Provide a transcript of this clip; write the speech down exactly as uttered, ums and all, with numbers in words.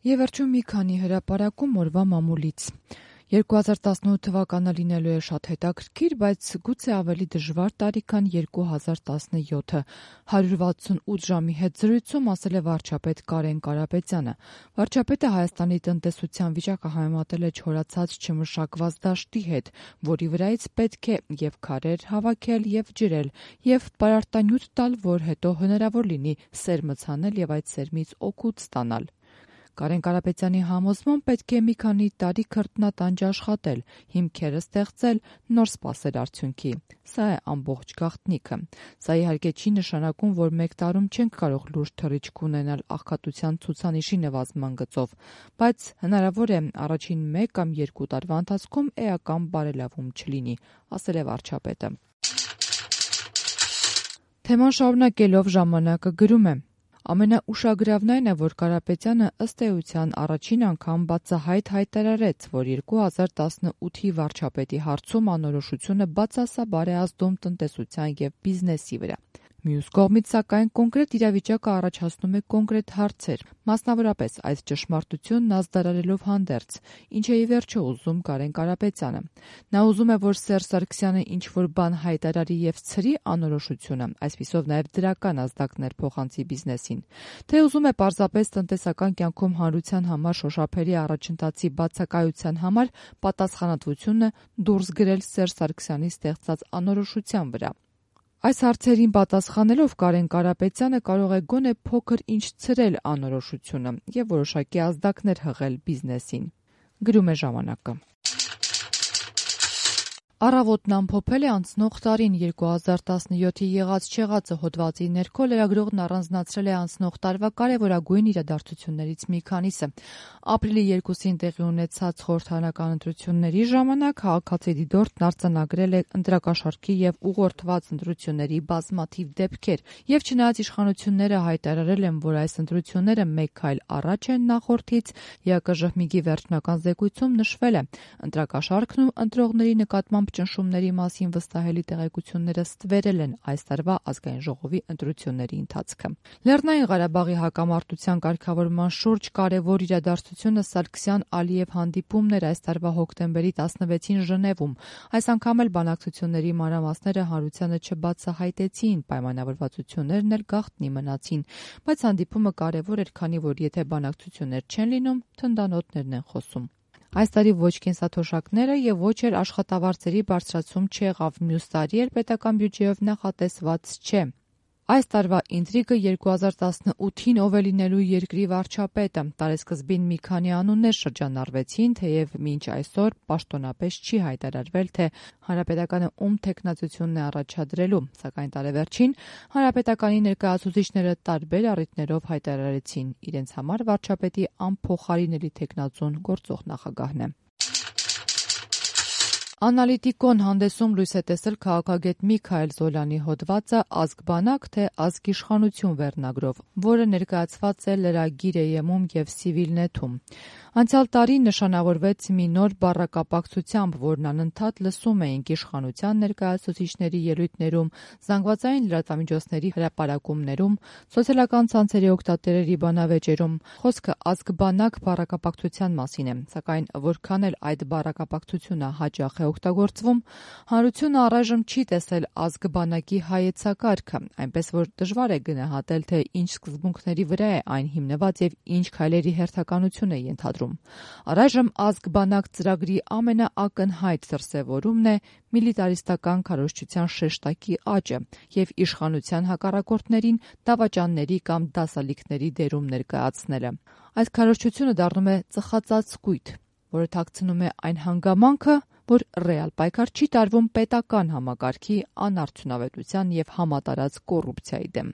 Եվ վերջում մի քանի հրապարակում օրվա մամուլից։ երկու հազար տասնութ թվականը լինելու է շատ հետաքրքիր, բայց գուցե ավելի դժվար տարի, քան երկու հազար տասնյոթը։ հարյուր վաթսունութ ժամի հետ զրույցում ասել է վարչապետ Կարեն Կարապետյանը։ Վարչապետը Հայաստանի տնտեսության վիճակը համեմատել է չորացած չմշակված դաշտի հետ, որի վրայից պետք է և քարեր հավաքել և ջրել, և պարարտանյութ տալ, որ հետո հնարավոր լինի սերմը ցանել և այդ սերմից օգուտ ստանալ։ Կարեն Կարապետյանի համոզմամբ պետք է մի քանի տարի քրտնատանջ աշխատել, հիմքերը ստեղծել, նոր սպասել արդյունքի։ Սա է ամբողջ գաղտնիքը։ Սա իհարկե չի նշանակում, որ մեկ տարում չենք կարող լուրջ թռիչք ունենալ աղքատության ցուցանիշի նվազման գծով, բայց հնարավոր է առաջին մեկ կամ երկու տարվա ընթացքում էական բարելավում չլինի, ասել է վարչապետը։ Թեման շարունակելով ժամանակը գրում է. Ամենաուշագրավն այն է, որ Կարապետյանը ըստ էության առաջին անգամ բացահայտ հայտարարեց, որ երկու հազար տասնութի վարչապետի հարցում անորոշությունը բացասաբար է ազդում տնտեսության և բիզնեսի վրա։ Մյուս կողմից, սակայն, կոնկրետ իրավիճակը առաջացնում է կոնկրետ հարցեր, մասնավորապես այս ճշմարտությունն ազդարարելով հանդերձ, ինչ է ի վերջո ուզում Կարեն Կարապետյանը։ Նա ուզում է, որ Սերժ Սարգսյանը ինչ-որ բան հայտարարի և ցրի անորոշությունը, այսպիսով նաև դրական ազդակներ փոխանցի բիզնեսին, թե ուզում է պարզապես տնտեսական կյանքում հանրության համար շոշափելի առաջընթացի բացակայության համար պատասխանատվությունը դուրս գրել Սերժ Սարգսյանի ստեղծած անորոշության վրա։ Այս հարցերին պատասխանելով Կարեն Կարապետյանը կարող է գոնե փոքր-ինչ ցրել անորոշությունը և որոշակի ազդակներ հղել բիզնեսին։ Գրում է ժամանակը։ Առավոտն ամփոփել է անցնող տարին երկու հազար տասնյոթի եղած-չեղածը հոդվածի ներքո լրագրողն առանձնացրել է անցնող տարվա կարևորագույն իրադարձություններից մի քանիսը։ Ապրիլի երկուսին տեղի ունեցած խորհրդարանական ընտրությունների ժամանակ քաղաքացի դիտորդն արձանագրել է ընտրակաշառքի և ուղղորդված ընտրությունների բազմաթիվ դեպքեր, և չնայած իշխանությունները հայտարարել են, որ այս ընտրությունները մեկ քայլ առաջ են նախորդից, ԵԱԿԺՀՄԻԳ-ի վերջնական զեկույցում նշվել է. ընտրակաշառքն ու ընտրողների նկատմամբ ճնշումների մասին վստահելի տեղեկությունները ստվերել են այս տարվա ազգային ժողովի ընտրությունների ընթացքը։ Լեռնային Ղարաբաղի հակամարտության կարգավորման շուրջ կարևոր իրադարձությունը Սարգսյան-Ալիև հանդիպումն էր այս տարվա հոկտեմբերի տասնվեցին Ժնևում։ Այս անգամ էլ բանակցությունների մանրամասները հանրությանը չբացահայտեցին, պայմանավորվածություններն էլ գաղտնի մնացին, բայց հանդիպումը կարևոր էր, քանի որ եթե բանակցություններ չեն լինում, թնդանոթներն են խոսում։ Այս տարի ոչ կենսաթոշակները և ոչ էլ աշխատավարձերի բարձրացում չեղավ, մյուս տարի էլ պետական բյուջեով նախատեսված չէ։ Այս տարվա ինտրիգը երկու հազար տասնութին ով է լինելու երկրի վարչապետը։ Տարեսկզբին մի քանի անուններ շրջանառվեցին, թեև մինչ այսօր պաշտոնապես չի հայտարարվել, թե Հանրապետականը ում թեկնածությունն է առաջադրելու, սակայն տարեվերջին Հանրապետականի ներկայացուցիչները տարբեր առիթներով հայտարարեցին իրենց համար վարչապետի անփոխարինելի թեկնածուն գործող նախագահն է։ Անալիտիկոն հանդեսում լույս է տեսել քաղաքագետ Միքայել Զոլյանի հոդվածը «Ազգ-բանակ, թե ազգ-իշխանություն» վերնագրով, որը ներկայացված է Lragir.am-ում և Civilnet-ում։ Անցյալ տարի նշանավորվեց մի նոր բառակապակցությամբ, որն անընդհատ լսում էինք իշխանության ներկայացուցիչների ելույթներում, զանգվածային լրատվամիջոցների հրապարակումներում, սոցիալական ցանցերի օգտատերերի բանավեճերում։ Խոսքը ազգ-բանակ բառակապակցության մասին է, սակայն որքան էլ այդ բառակապակցությունը հաճախ է օգտագործվում, հանրությունը առայժմ չի տեսել ազգ-բանակի հայեցակարգը, այնպես որ դժվար է գնահատել, թե ինչ սկզբունքների վրա է այն հիմնված և ինչ քայլերի հերթականություն է ենթադրում։ Առայժմ ազգ-բանակ ծրագրի ամենաակնհայտ դրսևորումն է միլիտարիստական քարոզչության շեշտակի աճը և իշխանության հակառակորդներին դավաճանների կամ դասալիքների դերում ներկայացնելը։ Այդ քարոզչությունը դառնում է ծխածածկույթ, որը թաքցնում է այն հանգամանքը, որ ռեալ պայքար չի տարվում պետական համակարգի անարդյունավետության և համատարած կոռուպցիայի դեմ։